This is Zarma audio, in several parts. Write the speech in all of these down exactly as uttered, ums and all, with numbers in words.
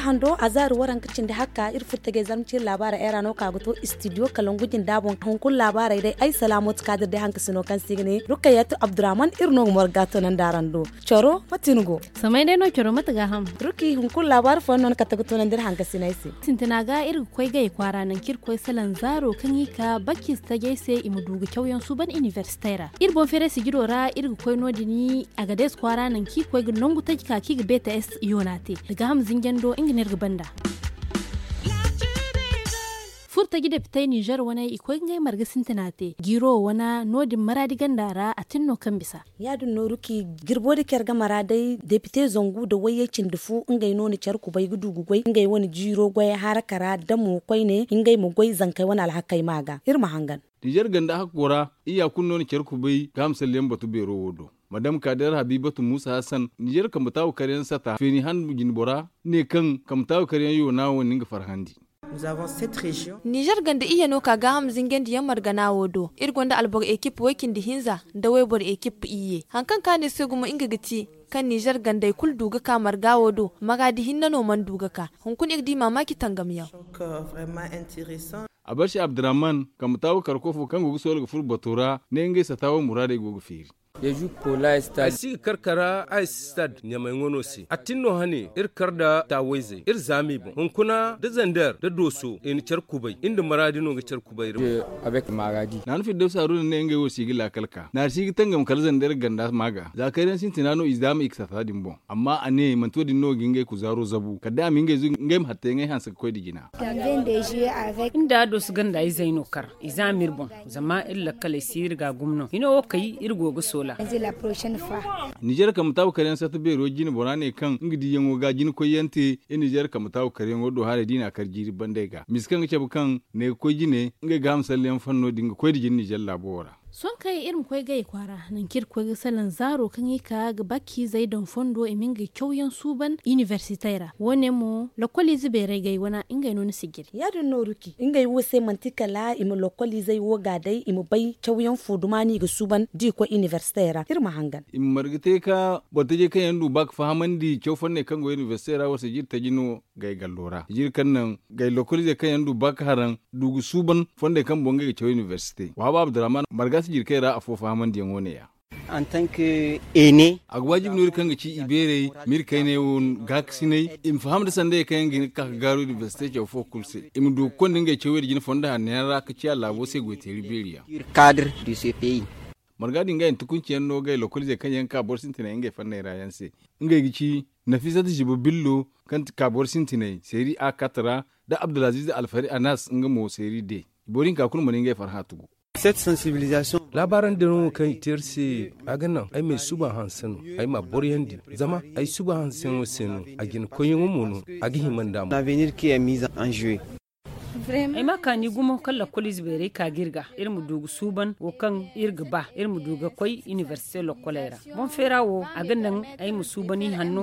Hando a zaari waranka cindi hakka iri furo tajey zarma ciiri laabaarey ay ra no ka ga to istidiyo kalangu jinda boŋ hunkuna laabaarey day ay salaamooti kaadir day hankasino kaŋ se i ga ne rukayatu abdurrahman iri no ga morga toonandi araŋ do. Coro mate ni go? Samay day no coro mate gaaham. Ruki hunkuna laabaari fooyaŋ no ni kate ga toonandi iri hankasiney se. Sintina ga iri ga koy gay kwaara nangu kaŋ iri ga koy salaŋ zaaro kaŋ i ka bakkiize tajey se i ma du ga cawyaŋ suuban inibersitey ra iri boŋ feeray sijiro ra iri ga koy no- din. Agades kwaara nangu kaŋ i ga koy ga nangu taji ka kaŋ i ga beeta s yoona te da gaaham zinjando nga no iri ga banda. Furo taji depitey nizer wane i koy ga ngey marga sintina te jiiro wane no- din maraadi ganda ra a tin no kaŋ bisa. Ya- din no ruki jirbo da care ga mara day depite zangu nda wayyey cindi fu ngey no na care kubay ga du ga goy ngey wane jiiro goyey haraka ra da mo koyne ngey ma goy zankey wane alhakey ma ga iri ma hangan. Nizer ganda hakko ra iyya kulu no na care kubay ga hamsalliyaŋ batu beero wo do. Madam kader habibatu musa hassan nizer kambe taawu karyaŋ sata feeni han jinbora ne kaŋ kambe taawu karyaŋ yoona wo na nga farhandi. Nizer ganda iyye no ka gaaham zinjandiyaŋ margana wo do iri gonda alboro ekip way- cindi hinza nda wayboro ekip iyye hari kaŋ kaanu iri se gumo nga ga ti kaŋ nizer gandey kulu du ga ka marga wo do maraadi hinne no mana du ga ka. Hunkuna iri di maamaaci tangamyaŋ. Abarsi abdurrahman kambe taawu kar koofo kaŋ go ga soola ga furo bato ra ne ngey sata wo muraadey go ga feeri. Ay si ga kar kara ay si stad ɲamay ŋwano se a tin no hane iri kar nda taawayzey iri zaami boŋ hunkuna da zander da dooso i na care kubay iri nda maraadi no ga care kubay iri boŋ. Naanu firdawsi haruna ne ngey wo si ga laakal ka naari si ga tangam kala zander ganda maaga za kayraŋ sintina no i zaami i ga sata din boŋ amma a ne manti wo- din no ga ngey kuzaaro zabu kala day a ma ngey zu ngey ma hatta yaŋey hanse ga koy nda jina. Nda dooso ganda izey no kar i zaami iri boŋ. Zama iri lakkaley si iri ga a gumo no hino wo kay iri go ga soola. Nizer kambe taabu karyaŋ sarta beero jine bora ne kaŋ nga diiyaŋo ga jina koyyaŋ te iri nizer kambe taabu karyaŋo do haray da i na a kar jiiri bandey ga misa kaŋ ga cabe kaŋ ne ga koy jine ngey ga hamsalliyaŋ fanno din ga koy nda jine nizer laabo wo ra. Sohõ kay iri ma koy gay kwaara nangu kaŋ iri ga koy ga salaŋ zaaro kaŋ i ka ga bakkiizey daŋ fondo i ma ngey cawyaŋ suuban inibersitey ra wo- ne mo lokoliize beerey gay wane ngey no ni si jiri. Ya- din no ruki ngey wo se manti kala i ma lokoliizey wo ga day i ma bay cawyaŋ fo duma no i ga suuban da i koy inibersitey ra iri ma hangan. I ma marga te ka boro tajey kaŋ yaŋ du ba ga fahamandi caw fonney kaŋ go inibersitey ra war se jiri taji no gay gallo ra jiri kaŋ naŋ gay lokoliizey kaŋ yaŋ du ba ga haraŋ du ga suuban fondey kaŋ boŋ ngey ga caw inibersite waaba abdurrahman marga si jiri kaŋ i ra afo fahamandiyaŋo ne- ya. A ga waajibi no iri kaŋ ga ci ibeerey ma iri kayney wo gaakasinay i ma faham nda sandayey kaŋ yaŋ ga hin ga ka ga gaaru inibersite caw fo kulu se i ma du ga konda ngey cawey nda jine fondo hanno yaŋ ra ka ciya laabo se goyteeri beeri yaŋ. Marga din ga hinta kunci yaŋ no gay lokoliizey kaŋ yaŋ ga ka boro sintinay ngey fanney ra yaŋ se ngey ga ci nafisat ziba billo kaŋ ga ka boro sintinay seeri a kat ra nda abdulaziiz alfari anas nga mo seeri de. Boro hinka kulu mana ngey farhã tugu. Laabaarandi no kaŋ i te iri se a ga naŋ ay ma ay suba hanse no ay ma a boroyandi zama ay suba hanseyaŋo se no a jina koyyaŋo mo no a ga hima nd'a mo. Ay ma kaani gumo kaŋ lakkol ize beeray ka ga iri ga iri ma du ga suuban wo kaŋ iri ga ba iri ma du ga koy inibersite lokkoley ra. Boŋ feera wo a ga naŋ ay ma suuban i hanno.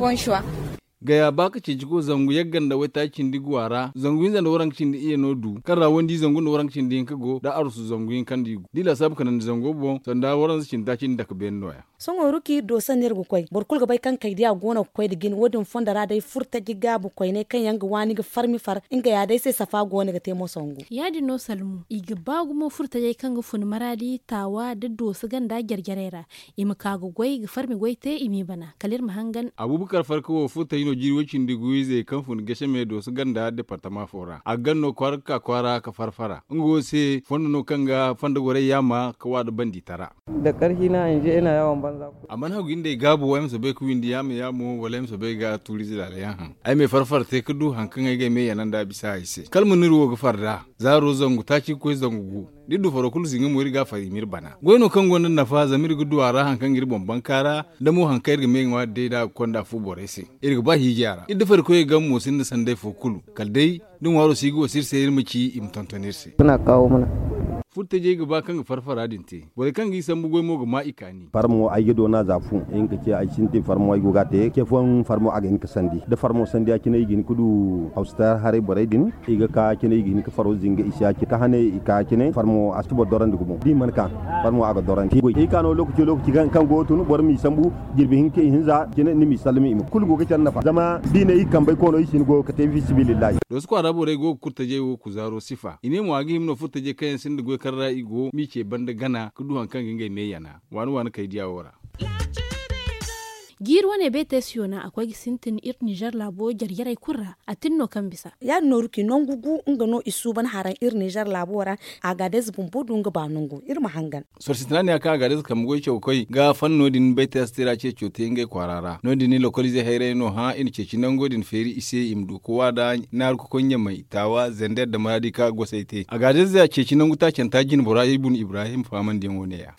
Gaya ba ka ceeci ko zangu yagga nda waytaaci cindi guwa ra zangu hinza nda waranka cindi iyye no du kaŋ ra wandi zangu nda waranka cindi hinka go nda arusu zangu hinka nda i gu da i laasaabu ka naŋ nda zango boŋ sanda waranza cindi taaci nda dake beene no- ya. Sohõ ruki do sanni iri ga koy boro kulu ga bay kaŋ kaydiya go no ga koy nda jine wo- din fondo ra day furo taji gaabu koyney kaŋ yaŋ ga waani ga farmi far nga ya day se safa go no ga te mo sangu. Ya- din no salmu i ga ba gumo furo tajey kaŋ ga fun maraadi taawa nda dooso ganda jare jarey ra i ma ka ga goy ga farmi goy te i m'i bana kala iri ma hangan. Abuubakar farka wo furo taji no jiiri way- cindi gu izey kaŋ fun gese me dooso ganda departama fo ra a ga gan no kwaara ga ka kwaara ka far fara nga wo se fondo no kaŋ ga fondo gorey yaama ka wa nda bandi tara. A mana hagu nda ay gaabu ay ma soobay ga windi yaama yaamo wala ay ma soobay ga tuurize laala yaŋ haŋ ay ma ay far fara te ga du hari kaŋ ay ga ay me yana nd'a bisa ay se kala ma no iri wo ga far nd'a. Zaaro zangu taaci ga koy zangu gu da iri du faro kulu zinga mo iri ga a far i ma iri bana goy no kaŋ gonda nafa zama iri ga du a ra hari kaŋ ga iri boŋ banka ra da mo hari kaŋ iri ga me ŋwaari day da a ga konda fu borey se. Iri ga ba hiiji a ra iri da farikoyey game mo sinda sanday fo kulu kala day da ŋwaaro si ga wasu iri se iri ma ci i ma tonton iri se. Furtajey ga ba kaŋ ga farfara din te. Borey kaŋ g'i sambu goy mo ga ma i kaani. Farmo ay ga doona za fu. Ay ga hin ka ce ay sintin farmo ay go ga a te ce fooyaŋ farmo a ga hin ka sandi da farmo sandi ya cine i ga hin ka du hawsata haray borey din. I ga ka cine i ga hin ka faro zinga i se ya cine ka hane i ka cine farmo a si boro dorandi gumo da i mana ka farmo a ga dorandi goy ay ka no lokaci lokaci kaŋ go ga tun boro m'i sambu jirbi hinka i hinza cine ni m'i sallami i ma kulu go ga care nafa zama da i ne i kambey koono i si hin go ga ka te fisibilillahi. Dooso kwaara borey go ga kurtajey wo kuzaaro sifa i ne mo a ga hima no furtajey kaŋ yaŋ sinda goy kaŋ ra i go m'i ce banda gana ka du hari kaŋ ga ngey me yana waani waani kay diya wo ra. Jiiri wane beetey si yoona a koy ga sintin iri nizer laabo jare jarey kulu ra. A tin no kaŋ bisa ya- din nooru kaŋ i nangu gu nga no i suuban haraŋ iri nizer laabo ra. Agaadez bumbo du nga ba nangu iri ma hangan. Sorro sintina ne ya kaŋ agaadez kambe goy caw ga koy ga fanno din baytey a si te ra ceeco te ngey kwaara ra no- din ni lokoliizey hayray no hã i na ceeci nango din feeri i se i ma du ka waada naaru ka koy ɲamay taawa zander nda maraadi kaŋ a ga gosay te agaadez ceeci nangu taacanta jinbora ibun ibrahim faamandiyaŋo ne- ya.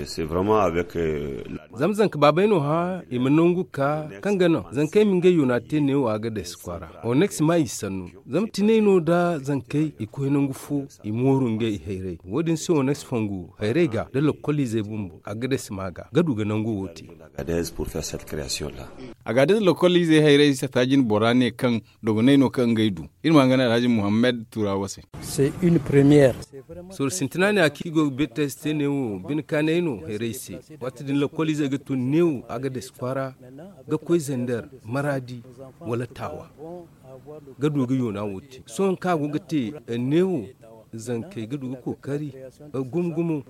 Zama zanka baabey no hã i ma nangu ga ka kaŋ ga naŋ zankey ma ngey yoona te neewo a ga day si kwaara oneks ma i sannu. Zama tinay no da zankey i koy nangu fo i mooru ngey hayray wo- din se oneks fongu hayray ga da lokoliizey bumbo a ga day si ma ga ga du ga nangu wo te. Agaadez lokoliizey hayray sataajin bora ne kaŋ dogonay no kaŋ ngey du. Iri ma hangan alhaji muhammad turawa se. Sorro sintina ne a kaŋ i go ga beetey se te neewo bine kaanay no hayray se. Waati din lokoliizey ga tun neewo a ga day si kwaara ga koy zander maraadi wala taawa ga du ga yoona wo te sohõ kaŋ a go ga te neewo zankey ga du ga kookari gumo gumo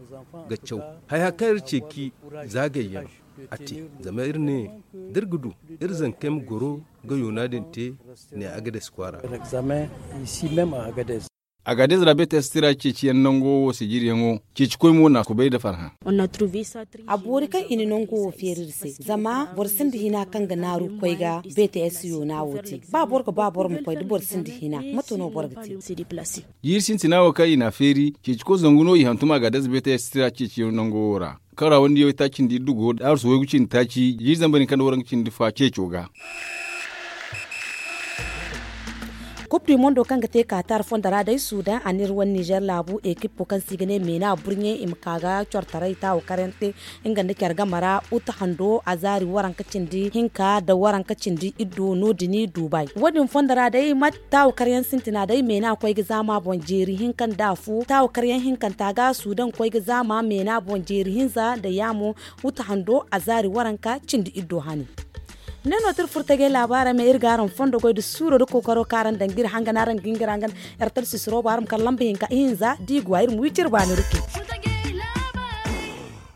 ga caw haya kaŋ iri ceeci zaagayyaŋ a te. Zama iri ne da iri ga du iri zankey ma goro ga yoona din te ne agades kwaara. Agades ra beetey si tira ceeciyaŋ nango wo se jiryaŋo ceeci koy mo na kubay nda farhã. A boori kaŋ i na nango wo feeri iri se zama boro sinda hina kaŋ ga naaru ga koy ga beetey si yoona wo te ba boro ga ba boro ma koy da boro sinda hina mate no boro ga te? Jiiri sintina wo kaŋ i n'a feeri ceeci koy zangu no i hantum agades beetey si tira ceeciyaŋ nango wo ra. Kaŋ ra wandi yaŋ taaci nda iddu go da arsu waygu cindi taaci jiiri zambar hinka nda waranka cindi fa ceeco ga. Kub du mondo kaŋ ga te kaatar fondo ra day sudan a n'iri wane nizer laabu ekippo kaŋ se i ga ne meena burɲe i ma ka ga cortaray taawo karyaŋ te nga nda care game ra uta hando azaari waranka cindi hinka nda waranka cindi iddu no- din duubay wo- din fondo ra day ma taawo karyaŋ sintina day meena koy ga zaama boŋ jeeri hinka nda afo taawo karyaŋ hinkanta ga sudan koy ga zaama meena boŋ jeeri hinza nda yaamo. Wuta hando azaari waranka cindi iddo hani. Ne no ti iri furo tajey laabaarey me iri ga araŋ fondo goy nda suuro nda kookaro kaŋ araŋ daŋ ga iri hangan araŋ ga hin ga iri hangan. Iri talsisiro bo araŋ ma kala lamba hinka ihinza da i go a iri ma wi cire baani ruke.